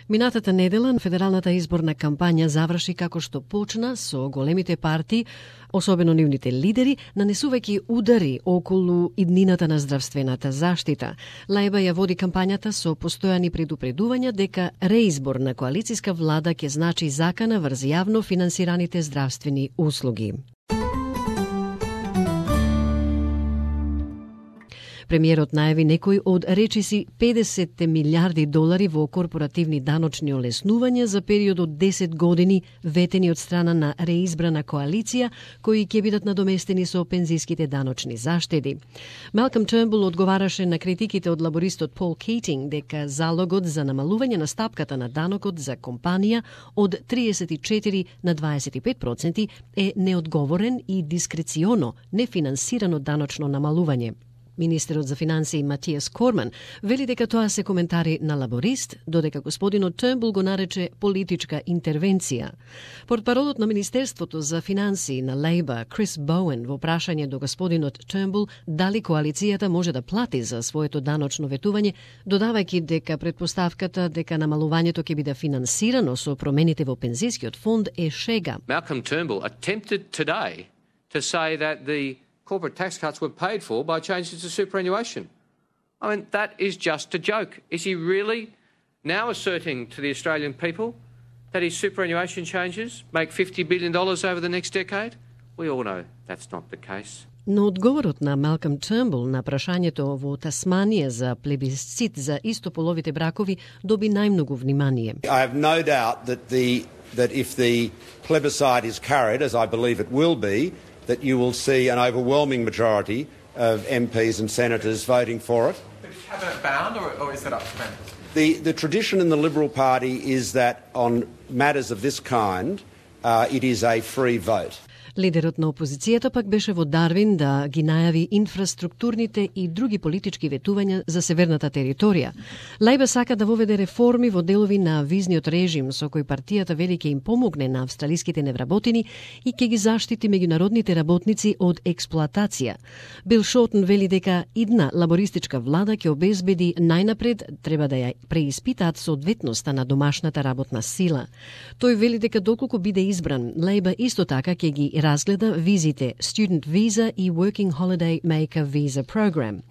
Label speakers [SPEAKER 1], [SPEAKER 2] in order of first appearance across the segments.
[SPEAKER 1] Минатата недела федералната изборна кампања заврши како што почна со големите партии, особено нивните лидери, нанесувајќи удари околу иднината на здравствената заштита. Лајба ја води кампањата со постојани предупредувања дека реизбор на коалициска влада ќе значи закана врз јавно финансираните здравствени услуги. Премиерот најави некои од речиси 50 милиарди долари во корпоративни даночни олеснувања за период од 10 години ветени од страна на реизбрана коалиција, кои ќе бидат надоместени со пензиските даночни заштеди. Малком Тернбул одговараше на критиките од лабористот Пол Кейтинг дека залогот за намалување на стапката на данокот за компанија од 34 на 25% е неодговорен и дискреционо нефинансирано даночно намалување. Министерот за финансии Матиас Корман вели дека тоа се коментари на лаборист, додека господинот Тернбул го нарече политичка интервенција. Портпаролот на Министерството за финансии на Лейба, Крис Боуен, во прашање до господинот Тернбул дали коалицијата може да плати за своето даночно ветување, додавајќи дека предпоставката дека намалувањето ќе биде финансирано со промените во пензискиот фонд е шега.
[SPEAKER 2] Malcolm Turnbull attempted today to say that the corporate tax cuts were paid for by changes to superannuation. I mean, that is just a joke. Is he really now asserting to the Australian people that his superannuation changes make $50 billion over the next decade? We all know that's not the case.
[SPEAKER 1] Но одговорот на Малком Тернбул на прашањето во Тасманија за плебисцит за истополовите бракови доби најмногу внимание.
[SPEAKER 3] I have no doubt that if the plebiscite is carried, as I believe it will be, that you will see an overwhelming majority of MPs and senators voting for it.
[SPEAKER 4] But is cabinet bound or is it up to members?
[SPEAKER 3] The tradition in the Liberal Party is that on matters of this kind, it is a free vote.
[SPEAKER 1] Лидерот на опозицијата пак беше во Дарвин да ги најави инфраструктурните и други политички ветувања за северната територија. Лајба сака да воведе реформи во делови на визниот режим со кој партијата вели ќе им помогне на австралиските невработени и ќе ги заштити меѓународните работници од експлоатација. Бил Шортон вели дека идна лабористичка влада ќе обезбеди најнапред треба да ја преиспитаат соодветноста на домашната работна сила. Тој вели дека доколку биде избран, Лајба исто така ќе ги разгледа визите Student Visa и Working Holiday Maker Visa Program.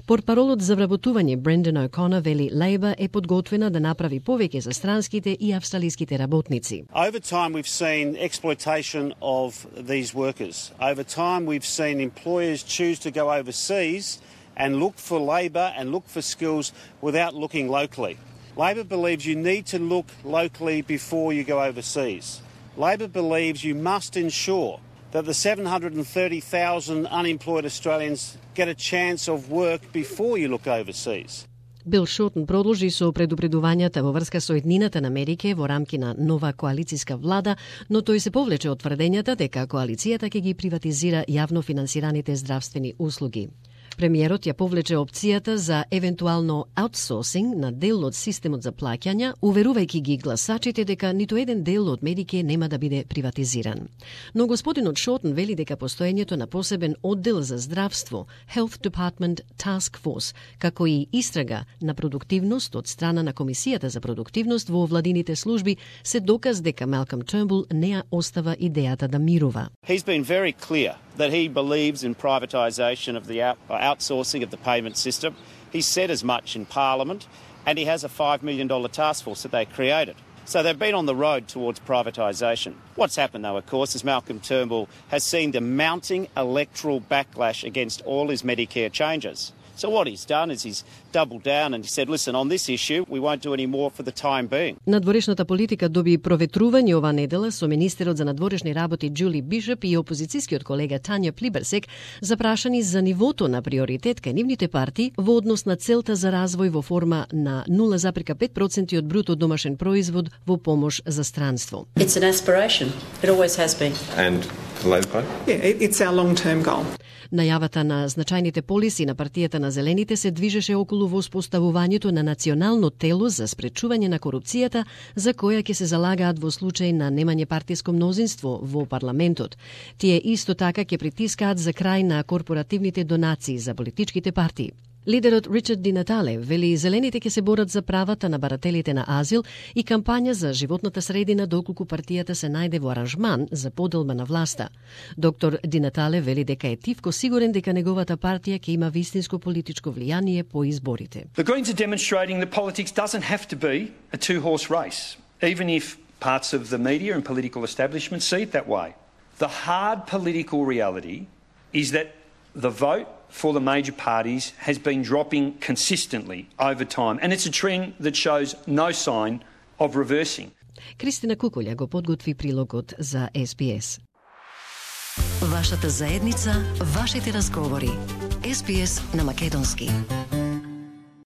[SPEAKER 1] Портпаролот за вработување Брендан О'Конор вели Лейба е подготвена да направи повеќе за странските и австралиските работници.
[SPEAKER 5] Over time we've seen exploitation of these workers. Over time we've seen employers choose to go overseas and look for labour and look for skills without looking locally. Labor believes you need to look locally before you go overseas. Labor believes you must ensure that the 730,000 unemployed Australians get a chance of work before you look overseas.
[SPEAKER 1] Бил Шортон продолжи со предупредувањата во врска со еднината на Америка во рамки на нова коалициска влада, но тој се повлече од тврдењата дека коалицијата ќе ги приватизира јавно финансираните здравствени услуги. Премиерот ја повлече опцијата за евентуално аутсорсинг на дел од системот за плаќања, уверувајќи ги гласачите дека ниту еден дел од Медике нема да биде приватизиран. Но господинот Шортон вели дека постоењето на посебен оддел за здравство, Health Department Task Force, како и истрага на продуктивност од страна на Комисијата за продуктивност во владините служби се доказ дека Малком Тернбул не ја остава идејата да мирува.
[SPEAKER 5] He's been very clear that he believes in privatisation of the outsourcing of the payment system. He said as much in Parliament, and he has a $5 million task force that they created. So they've been on the road towards privatisation. What's happened, though, of course, is Malcolm Turnbull has seen the mounting electoral backlash against all his Medicare changes. So what he's done is he's doubled down and he said, listen, on this issue, we won't do any more for the time being.
[SPEAKER 1] Надворешната политика доби проветрување ова недела со министерот за надворешни работи Џули Бишоп и опозицијскиот колега Тања Плиберсек запрашани за нивото на приоритет кај нивните партии во однос на целта за развој во форма на 0,5% од бруто домашен производ во помош за странство.
[SPEAKER 6] It's an aspiration. It always has been.
[SPEAKER 4] And the Labor Party?
[SPEAKER 7] Yeah, it's our long-term goal.
[SPEAKER 1] Најавата на значајните полиси на партијата на Зелените се движеше околу воспоставувањето на национално тело за спречување на корупцијата, за која ќе се залагаат во случај на немање партиско мнозинство во парламентот. Тие исто така ќе притискаат за крај на корпоративните донации за политичките партии. Лидерот Ричард Ди Натале вели зелените ќе се борат за правата на барателите на азил и кампања за животната средина доколку партијата се најде во аранжман за поделба на власта. Доктор Ди Натале вели дека е тивко сигурен дека неговата партија ќе има вистинско политичко влијание по изборите.
[SPEAKER 8] The Greens are demonstrating that politics doesn't have to be a two-horse race, even if parts of the media and political establishment see it that way. The hard political reality is that the vote for the major parties has been dropping consistently over time, and it's a trend that shows no sign of reversing.
[SPEAKER 1] Кристина Кукулја го подготви прилогот за SBS.
[SPEAKER 9] Вашата заедница, вашите разговори. SBS на македонски.